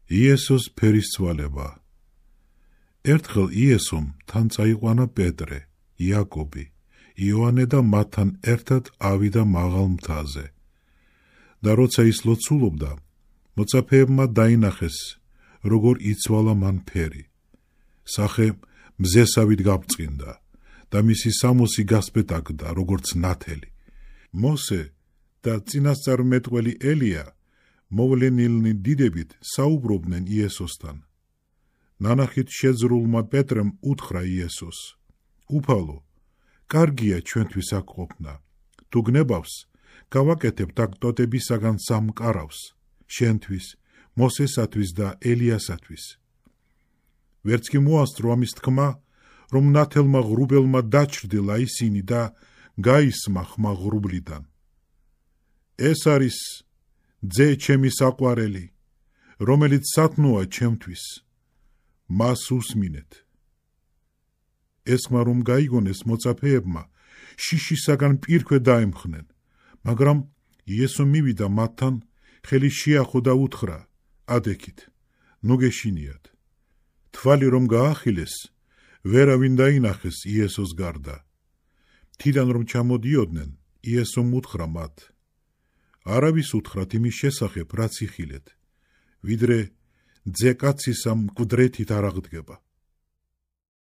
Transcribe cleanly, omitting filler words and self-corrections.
იესოს ფერისცვალება. ერთხელ იესომ თან წაიყვანა პეტრე, იაკობი, იოანე და მათთან ერთად ავიდა მაღალ მთაზე. და როცა ის ლოცულობდა, მოწაფეებმა დაინახეს, როგორ იცვალა მან ფერი. სახე მზესავით გაბრწყინდა და მისი სამოსი გასპეტაკდა, როგორც ნათელი. მოსე და წინასწარმეტყველი ელია მოვლენილნი დიდებით საუბრობდნენ იესოსთან. ნანახით შეძრულმა პეტრემ უთხრა იესოს: უფალო, კარგია ჩვენთვის აქ ყოფნა. თუ გნებავს, გავაკეთებთ აქ ტოტებისაგან სამ კარავს, შენთვის, მოსესათვის და ელიასათვის. ვერც კი მოასწრო ამის თქმა, რომ ნათელმა ღრუბელმა დაჩრდილა ისინი და გაისმა ხმა ღრუბლიდან. ეს არის ძე ჩემი საყვარელი, რომელიც სათნოა ჩემთვის, მას უსმინეთ. ეს ხმა რომ გაიგონეს მოწაფეებმა, შიშისაგან პირქვე დაემხნენ, მაგრამ იესო მივიდა მათთან, ხელი შეახო და უთხრა: ადექით, ნუ გეშინიათ. თვალი რომ გაახილეს, ვერავინ დაინახეს იესოს გარდა. თიდან რომ ჩამოდიოდნენ, იესომ უთხრა მათ: არავის უთხრათ იმის შესახებ, რაც იხილეთ, ვიდრე ძე კაცისა მკვდრეთით არ აღდგება.